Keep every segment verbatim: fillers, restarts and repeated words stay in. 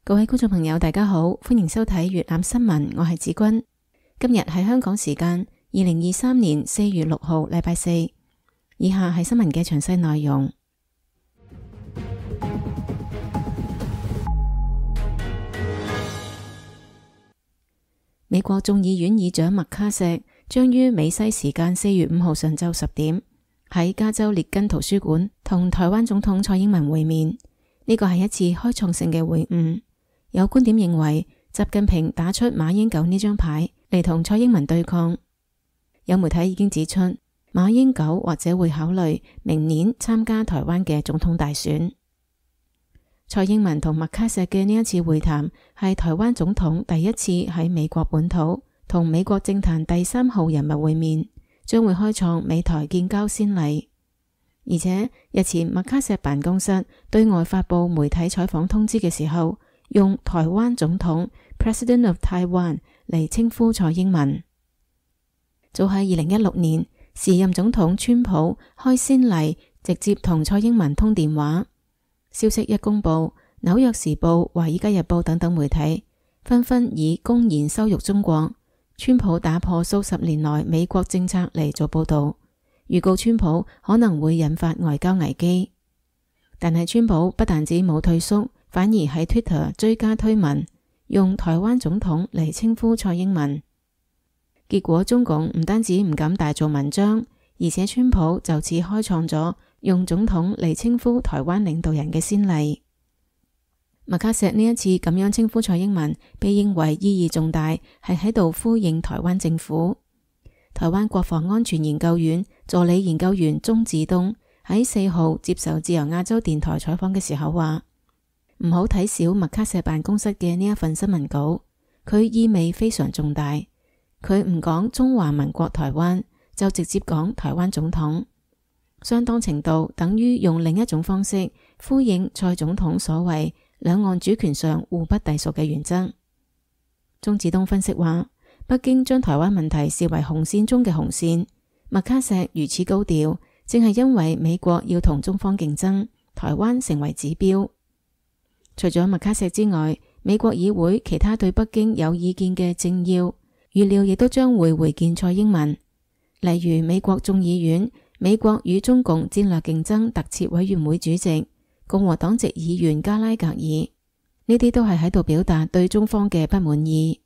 各位觀眾朋友大家好，歡迎收睇粵覽新聞，我係子君。今日係香港時間二零二三年四月六號禮拜四。以下係新聞嘅詳細內容。美國眾議院議長麥卡錫將於美西時間四月五號上晝十點喺加州列根圖書館同台灣總統蔡英文會面。呢個係一次開創性嘅會晤。有觀點認為，習近平打出馬英九呢張牌嚟同蔡英文對抗。有媒體已經指出，馬英九或者會考慮明年參加台灣嘅總統大選。蔡英文同麥卡錫嘅呢一次會談係台灣總統第一次喺美國本土同美國政壇第三號人物會面，將會開創美台建交先例。而且日前麥卡錫辦公室對外發佈媒體採訪通知嘅時候，用台灣總統 President of Taiwan 嚟稱呼蔡英文。早喺二零一六年，時任總統川普開先例，直接同蔡英文通電話。消息一公布，紐約時報、華爾街日報等等媒體紛紛以公然羞辱中國、川普打破數十年來美國政策嚟做報道，預告川普可能會引發外交危機。但係川普不但止冇退縮，反而喺 Twitter 追加推文，用台灣總統嚟稱呼蔡英文。結果中共唔單止唔敢大做文章，而且川普就此開創咗用總統嚟稱呼台灣領導人嘅先例。麥卡錫呢一次咁樣稱呼蔡英文，被認為意義重大，係喺度呼應台灣政府。台灣國防安全研究院助理研究員鍾志東喺四號接受自由亞洲電台採訪嘅時候話，唔好睇小麥卡錫辦公室嘅呢一份新聞稿，佢意味非常重大。佢唔講中華民國台灣，就直接講台灣總統，相當程度等於用另一種方式呼應蔡總統所謂兩岸主權上互不隸屬嘅原則。鍾志東分析話，北京將台灣問題視為紅線中嘅紅線，麥卡錫如此高調，正係因為美國要同中方競爭，台灣成為指標。除咗麥卡錫之外，美國議會其他對北京有意見嘅政要，預料亦都將會會見蔡英文，例如美國眾議院美國與中共戰略競爭特設委員會主席共和黨籍議員加拉格爾，呢啲都係喺度表達對中方嘅不滿意。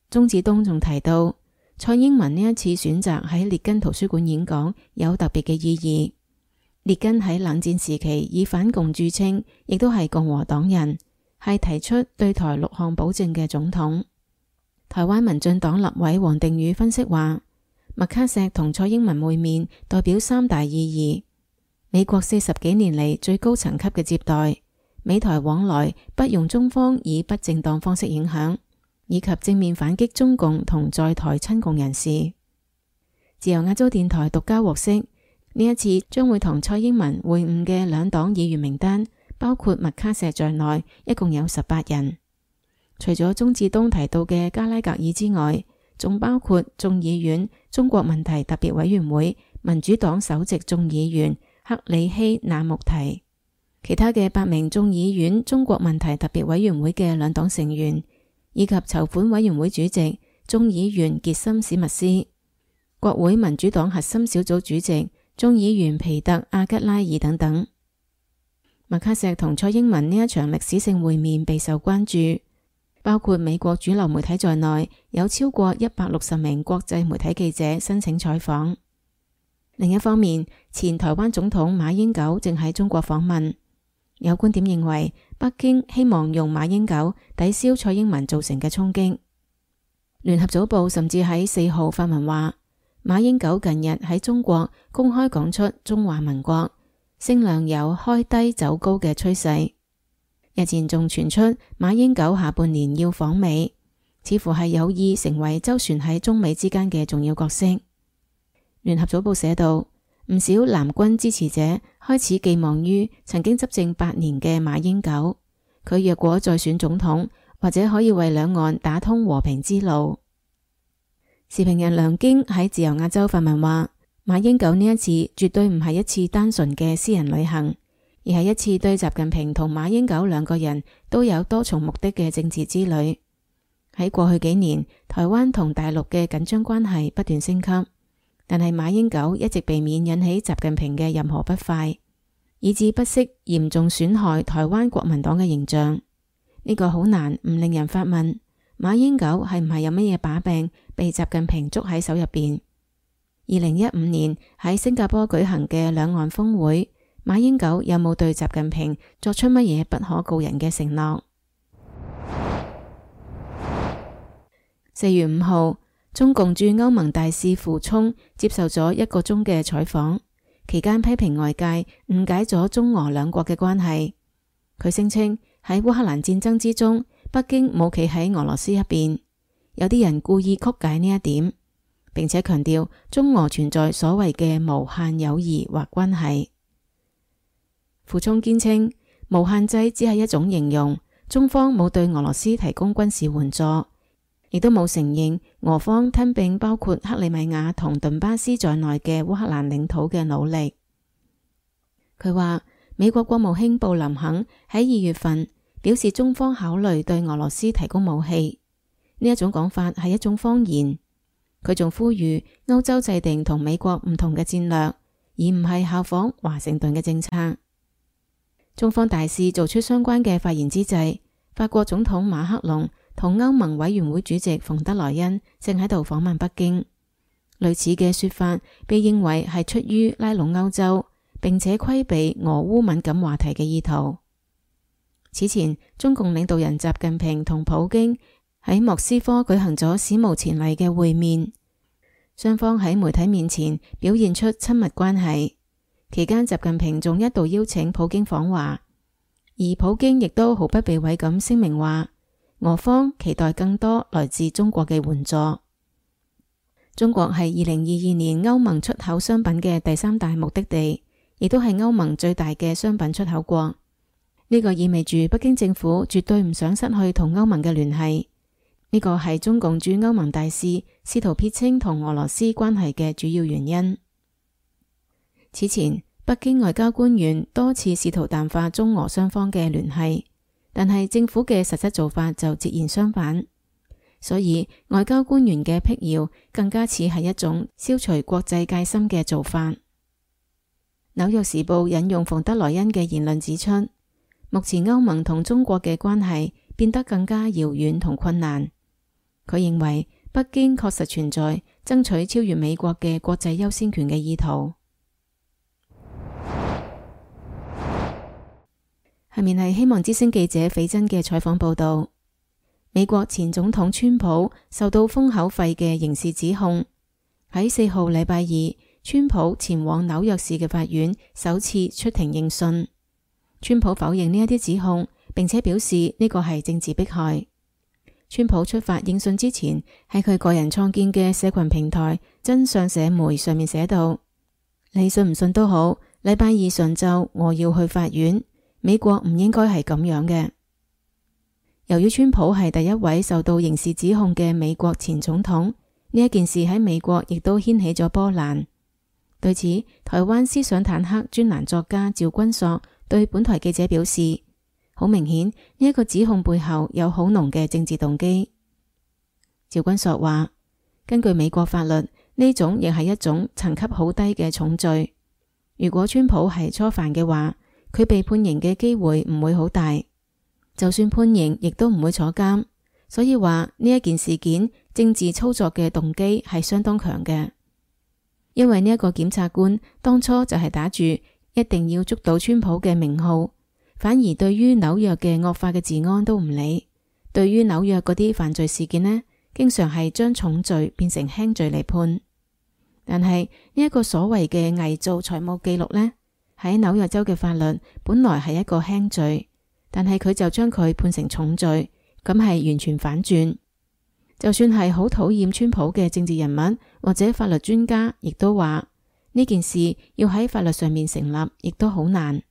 鍾志東仲提到，蔡英文呢一次選擇喺列根圖書館演講有特別嘅意義。列根喺冷戰時期以反共著稱，亦都係共和黨人，係提出對台六項保證嘅總統。台灣民進黨立委王定宇分析話，麥卡錫同蔡英文會面代表三大意義：美國四十幾年嚟最高層級嘅接待，美台往來不容中方以不正當方式影響，以及正面反擊中共同在台親共人士。自由亞洲電台獨家獲悉，呢一次將會同蔡英文會晤嘅兩黨議員名單，包括麥卡錫在內，一共有十八人。除咗鍾志東提到嘅加拉格爾之外，仲包括眾議院中國問題特別委員會民主黨首席眾議員克里希那穆提，其他嘅八名眾議院中國問題特別委員會嘅兩黨成員，以及籌款委員會主席眾議員傑森史密斯、國會民主黨核心小組主席眾議員皮特阿吉拉爾等等。麥卡錫同蔡英文呢一場歷史性會面備受關注。包括美國主流媒體在內，有超過一百六十名國際媒體記者申請採訪。另一方面，前台灣總統馬英九正喺中國訪問。有觀點認為，北京希望用馬英九抵消蔡英文造成嘅衝擊。聯合早報甚至喺四號發文話，馬英九近日喺中國公開講出中華民國，聲量有開低走高嘅趨勢。日前仲傳出馬英九下半年要訪美，似乎係有意成為周旋喺中美之間嘅重要角色。聯合早報寫道，唔少藍軍支持者開始寄望於曾經執政八年嘅馬英九，佢若果再選總統，或者可以為兩岸打通和平之路。時評人梁京喺自由亞洲發文話，馬英九呢一次絕對唔係一次單純嘅私人旅行，而係一次對習近平同馬英九兩個人都有多重目的嘅政治之旅。喺過去幾年，台灣同大陸嘅緊張關係不斷升級，但係馬英九一直避免引起習近平嘅任何不快，以致不惜嚴重損害台灣國民黨嘅形象。呢個好難唔令人發問，馬英九係唔係有乜嘢把柄被習近平捉喺手入邊？二零一五年喺新加坡舉行嘅兩岸峰會，馬英九有冇對習近平作出乜嘢不可告人嘅承諾？四月五號，中共駐歐盟大使傅聰接受咗一個鐘嘅採訪，期間批評外界誤解咗中俄兩國嘅關係。佢聲稱喺烏克蘭戰爭之中，北京冇企喺俄羅斯一邊，有啲人故意曲解呢一點，並且強調中俄存在所謂嘅無限友誼或關係。傅聰堅稱無限制只係一種形容，中方冇對俄羅斯提供軍事援助，亦都冇承認俄方吞併包括克里米亞同頓巴斯在內嘅烏克蘭領土嘅努力。佢話美國國務卿布林肯喺二月份表示中方考慮對俄羅斯提供武器，呢一種講法係一種謊言。佢仲呼籲歐洲制定同美國唔同嘅戰略，而唔係效仿華盛頓嘅政策。中方大使做出相關嘅發言之際，法國總統馬克龍同歐盟委員會主席馮德萊恩正喺度訪問北京。類似嘅說法被認為係出於拉攏歐洲，並且規避俄烏敏感話題嘅意圖。此前，中共領導人習近平同普京喺莫斯科舉行咗史無前例嘅會面，雙方喺媒體面前表現出親密關係。期間，習近平仲一度邀請普京訪華，而普京亦都毫不避諱咁聲明話，俄方期待更多來自中國嘅援助。中國係二零二二年歐盟出口商品嘅第三大目的地，亦都係歐盟最大嘅商品出口國。呢個意味住北京政府絕對唔想失去同歐盟嘅聯繫。呢個係中共駐歐盟大使試圖撇清同俄羅斯關係嘅主要原因。此前，北京外交官員多次試圖淡化中俄雙方嘅聯繫，但係政府嘅實質做法就截然相反。所以外交官員嘅闢謠更加似係一種消除國際戒心嘅做法。紐約時報引用馮德萊恩嘅言論指出，目前歐盟同中國嘅關係變得更加遙遠同困難。佢認為北京確實存在爭取超越美國嘅國際優先權嘅意圖。下面係希望之聲記者斐真嘅採訪報道。美國前總統川普受到封口費嘅刑事指控，喺四號禮拜二，川普前往紐約市嘅法院首次出庭應訊。川普否認呢一啲指控，並且表示呢個係政治迫害。川普出發應訊之前，喺佢個人創建嘅社群平台真相社媒上面寫道：你信唔信都好，禮拜二上晝我要去法院。美國唔應該係咁樣嘅。由於川普係第一位受到刑事指控嘅美國前總統，呢一件事喺美國亦都掀起咗波瀾。對此，台灣思想坦克專欄作家趙君朔對本台記者表示，好明顯呢一個指控背後有好濃嘅政治動機。趙君朔話，根據美國法律，呢種亦係一種層級好低嘅重罪。如果川普係初犯嘅話，佢被判刑嘅機會唔會好大，就算判刑亦都唔會坐監。所以話呢一件事件政治操作嘅動機係相當強嘅，因為呢一個檢察官當初就係打住一定要捉到川普嘅名號，反而對於紐約嘅惡化嘅治安都唔理。對於紐約嗰啲犯罪事件呢，經常係將重罪變成輕罪嚟判。但係呢一個所謂嘅偽造財務記錄呢，喺紐約州嘅法律本來係一個輕罪，但係佢就將佢判成重罪，咁係完全反轉。就算係好討厭川普嘅政治人物或者法律專家，亦都話呢件事要喺法律上面成立，亦都好難。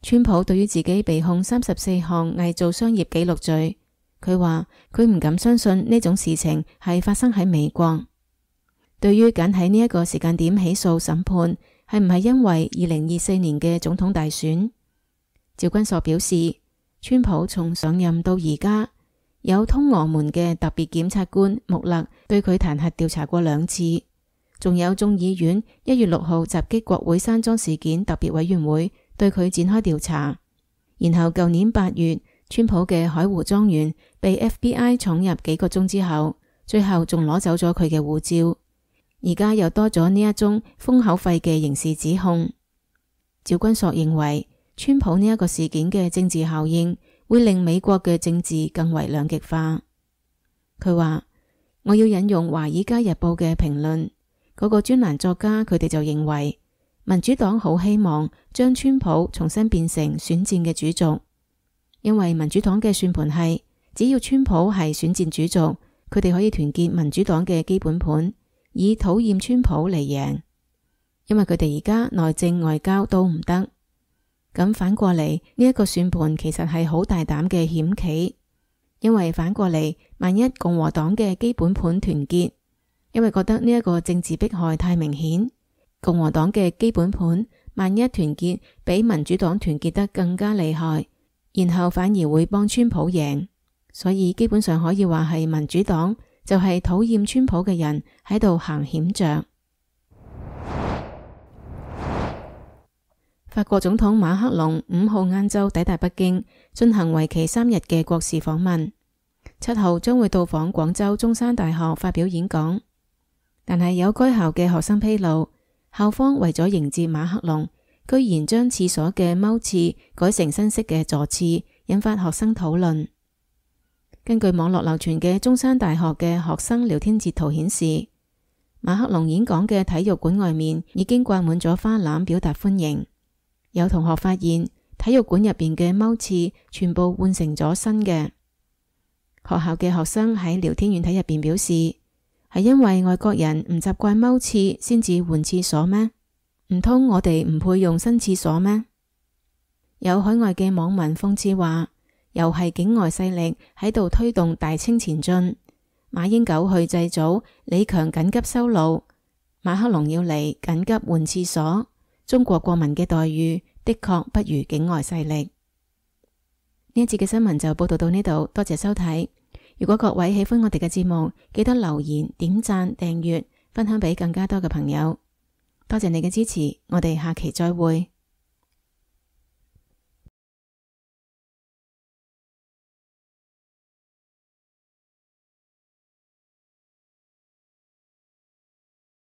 川普對於自己被控三十四項偽造商業記錄罪，佢話佢唔敢相信呢種事情係發生喺美國。對於揀喺呢一個時間點起訴審判，係唔係因為二零二四年嘅總統大選？趙君碩表示，川普從上任到而家，有通俄門嘅特別檢察官穆勒對佢彈劾調查過兩次，仲有眾議院一月六號襲擊國會山莊事件特別委員會對佢展開調查。然後舊年八月，川普嘅海湖莊園被 F B I 闖入幾個鐘之後，最後仲攞走咗佢嘅護照。而家又多咗呢一宗封口費嘅刑事指控。趙君碩認為，川普呢一個事件嘅政治效應會令美國嘅政治更為兩極化。佢話，我要引用華爾街日報嘅評論，嗰個專欄作家佢哋就認為，民主黨好希望將川普重新變成選戰嘅主軸，因為民主黨嘅算盤係，只要川普係選戰主軸，佢哋可以團結民主黨嘅基本盤，以討厭川普嚟贏，因為佢哋而家內政外交都唔得。咁反過嚟，呢一個算盤其實係好大膽嘅險棋，因為反過嚟，萬一共和黨嘅基本盤團結，因為覺得呢一個政治迫害太明顯，共和黨嘅基本盤萬一團結比民主黨團結得更加厲害，然後反而會幫川普贏，所以基本上可以話係民主黨就係討厭川普嘅人喺度行險著。法國總統馬克龍五號晏晝抵達北京，進行為期三日嘅國事訪問。七號將會到訪廣州中山大學發表演講。但係有該校嘅學生披露，校方為咗迎接馬克龍，居然將廁所嘅踎廁改成新式嘅坐廁，引發學生討論。根據網絡流傳嘅中山大學嘅學生聊天截圖顯示，馬克龍演講嘅體育館外面已經掛滿咗花籃表達歡迎。有同學發現體育館入邊嘅踎廁全部換成咗新嘅。學校嘅學生喺聊天軟體入邊表示，係因為外國人唔習慣踎廁先至換廁所咩？唔通我哋唔配用新廁所咩？有海外嘅網民諷刺話，又係境外勢力喺度推動大清前進，馬英九去祭祖，李強緊急修路，馬克龍要嚟緊急換廁所。中國國民嘅待遇的確不如境外勢力。呢一節嘅新聞就報道到呢度，多謝收睇。如果各位喜歡我哋嘅節目，記得留言、點讚、訂閱、分享俾更加多嘅朋友。多謝你嘅支持，我哋下期再會。